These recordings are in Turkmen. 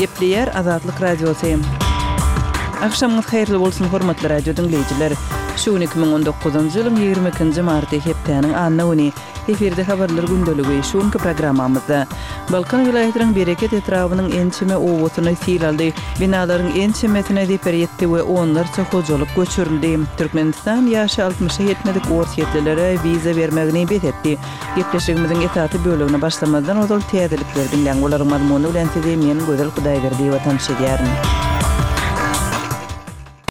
Gepleýär Azatlyk Radiosy. Agşamyňyz haýyrly bolsun, hormatly radio diňleýjiler! Şu gün 2019-njy ýylyň 22-nji marty, hepdäniň anna güni. Efirde habarlar gündeligi. Şu günki programmamyzda Balkan welaýatynyň Bereket etrabynyň ençeme obasyny sil aldy. Binalaryň ençemesine zeper ýetdi we onlarça hojalyk göçürildi. Türkmenistan ýaşy altmyşa ýetmedik orsýetlilere wiza bermegini bes etdi. Gepleşigimiziň esasy bölegine başlamazdan ozal täzelikleri diňläň. Olaryň mazmuny bilen sizi men Gözel Hudaýberdiýewa tanyş edýärin.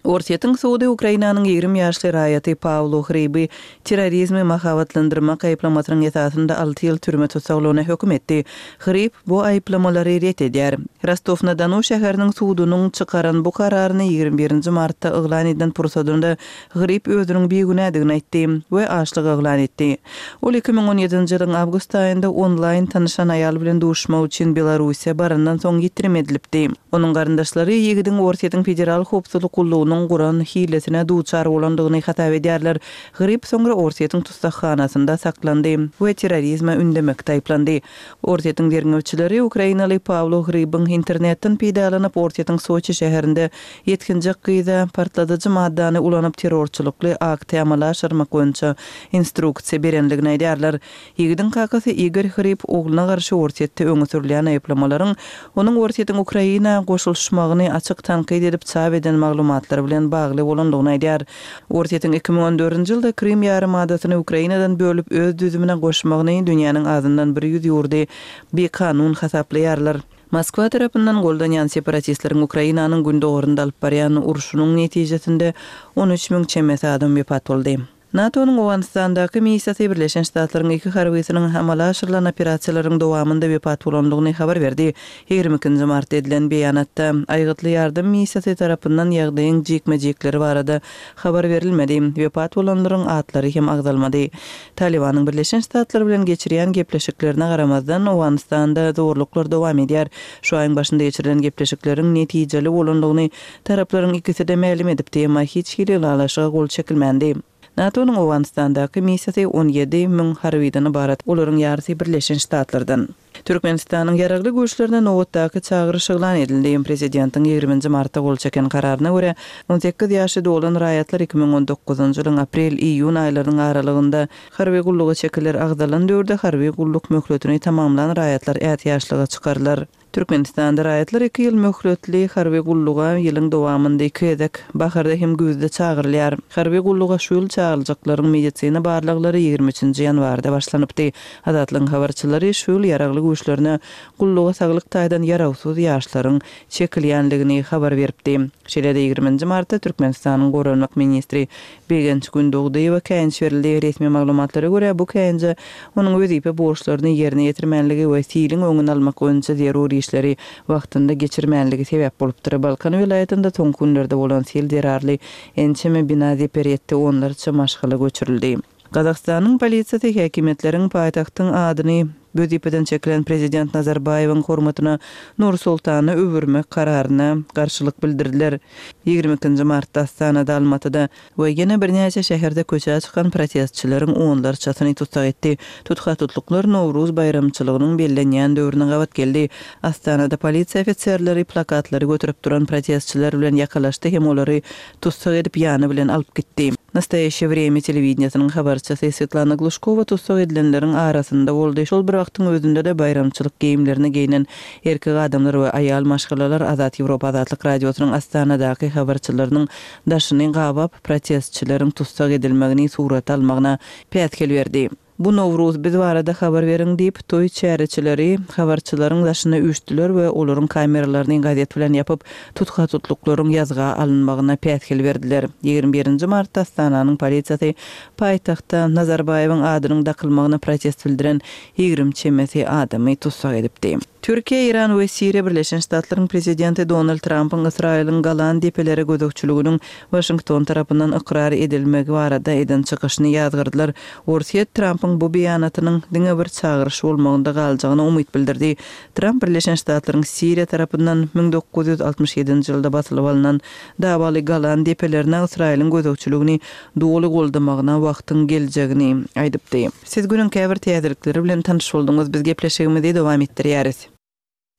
Orsýetiň sudy Ukrainanyň 20 ýaşly raýaty Pawlo Hryby terrorizmi mahabatlandyrmak aýyplamasynyň esasynda alty ýyl türme tussaglygyna höküm etdi. Hryb bu aýyplamalary ret edýär. Rostow-na-Donu şäheriniň sudunyň çykaran bu kararyny 21 nji martda yglan eden pursadynda Hryb özüniň bigünädigini aýtdy we açlyk yglan etdi. Ol 2017-nji ýylyň awgust aýynda onlaýn tanyşan aýal bilen duşuşmak üçin Belarussiýa barandan soň ýitirim edilipdi. Onuň garyndaşlary ýigidiň Orsýetiň Federal howpsuzlyk gullugynyň guran hilesine duçar bolandygyny hasap edýärler. Hryb soňra Orsýetiň tussaghanasynda saklandy we terrorizme ündemekde aýyplandy. Orsýetiň derňewçileri ukrainaly Pawlo Hrybyň internetden peýdalanyp Orsýetiň Soçi şäherinde ýetginjek gyza partladyjy maddany ulanyp terrorçylykly akty amala aşyrmak boýunça instruksiýa berendigini aýdýarlar. Ýigidiň kakasy Igor Hryb ogluna garşy Orsýetde öňe sürülýän aýyplamalaryň onuň Orsýetiň Ukraina goşulyşmagyny açyk tankyt edip çap eden maglumatlary bilen bagly bolandygyny aýdýar. Orsýetiň 2014-nji ýylda Krym ýarymadasyny Ukrainadan bölüp öz düzümine goşmagyny dünýäniň azyndan bir ýüz ýurdy bikanun hasaplaýarlar. Moskwa tarapyndan goldanýan separatistleriň Ukrainanyň gündogarynda alyp barýan urşunyň netijesinde 13 müň çemesi adam wepat boldy. NATO-nyň Owganystandaky missiýasy Birleşen Ştatlaryň iki harbysynyň amala aşyrylan operasiýalaryň dowamynda wepat bolandygyny habar berdi. 22 nji martda edilen beýanatda, Aýgytly ýardam missiýasy tarapyndan ýagdaýyň jikme-jikleri barada habar berilmedi, wepat bolanlaryň atlary hem agzalmady. Talybanyň Birleşen Ştatlar bilen geçirýän gepleşiklerine garamazdan, Owganystanda zorluklar dowam edýär. Şu aýyň başynda geçirilen gepleşikleriň netijeli bolandygyny taraplaryň ikisi-de mälim edipdi, emma hiç hili ylalaşyga gol çekilmändi. NATO-nyň Owganystandaky missiýasy 17 müň harbydan ybarat, olaryň ýarysy Birleşen Ştatlardan. Türkmenistanyň Ýaragly Güýçlerine nobatdaky çagyryş yglan edildi. Prezidentiň 20 nji martda gol çeken kararyna görä, 18 ýaşy dolan raýatlar 2019-njy ýylyň aprel-iýun aýlarynyň aralygynda harby gulluga çekiler, agzalan döwürde harby gulluk möhletini tamamlan raýatlar ätiýaçlyga çykarylar. Türkmenistanda raýatlar iki ýyl möhletli harby gulluga ýylyň dowamynda iki gezek, baharda hem güýzde çagyrylýar. Harby gulluga şu ýyl çagyryljaklaryň medisina barlaglary 23 nji ýanwarda başlanypdy. Azatlygyň habarçylary şu ýyl Ýaragly Güýçlerine gulluga saglyk taýdan ýarawsyz ýaşlaryň çekilýändigini habar beripdi. Şeýle-de 20 nji martda Türkmenistanyň goranmak ministri Begenç Gündogdyýewe käýinç berildi. Resmi maglumatlara görä, bu käýinje onuň wezipe borçlaryny ýerine ýetirmänligi we siliň öňüni almak boýunça zerur işleri wagtynda geçirmänligi sebäp bolupdyr. Balkan welaýatynda soňky günlerde bolan sil zerarly ençeme bina zeper ýetdi, onlarça maşgala göçürildi. Gazagystanyň polisiýasy häkimiýetleriň paýtagtyň adyny wezipeden çekilen prezident Nazarbaýewiň hormatyna Nur-Sultana öwürmek kararyna garşylyk bildirdiler. 22 nji martda Astanada, Almatyda we ýene birnäçe şäherde köçä çykan protestçileriň onlarçasyny tussag etdi. Tutha-tutluklar Nowruz baýramçylygynyň bellenýän döwrüne gabat geldi. Astanada polisiýa ofiserleri plakatlary göterip duran protestçiler bilen ýakalaşdy hem olary tussag edip ýany bilen alyp gitdi. Nastoýaşçe wremýa telewideniýesiniň habarçysy Swetlana Gluşkowa tussag edilenleriň arasynda boldy. Şol bir wagtyň özünde-de baýramçylyk geýimlerine geýnen erkek adamlar we aýal maşgalalar Azat Ýewropa Azatlyk Radiosynyň Astanadaky habarçylarynyň daşyny gabap, protestçileriň tussag edilmegini surata almagyna päsgel berdi. Bu Nowruz biz barada habar beriň diýip, toý çäreçileri habarçylaryň daşyna üýşdüler we olaryň kameralaryny gazet bilen ýapyp, tutha-tutluklaryň ýazga alynmagyna päsgel berdiler. 21 nji martda Astananyň polisiýasy paýtagtda Nazarbaýewiň adynyň dakylmagyna protest bildiren 20 çemesi adamy tussag edipdi. Türkiýe, Eýran we Siriýa Birleşen Ştatlaryň prezidenti Donald Trampyň Ysraýylyň Golan depelere gözegçiliginiň Waşington tarapyndan ykrar edilmegi barada eden çykyşyny ýazgardylar. Orsýet Trampyň bu beýanatynyň diňe bir çagyryş bolmagynda galjagyna umyt bildirdi. Tramp Birleşen Ştatlaryň Siriýa tarapyndan 1967-nji ýylda basylyp alnan dawaly Golan depelerine Ysraýylyň gözegçiligini doly goldamagyna wagtyň geljegini aýdypdy. Siz günüň käbir täzelikleri bilen tanyş bolduňyz. Biz gepleşigimizi dowam etdirýäris.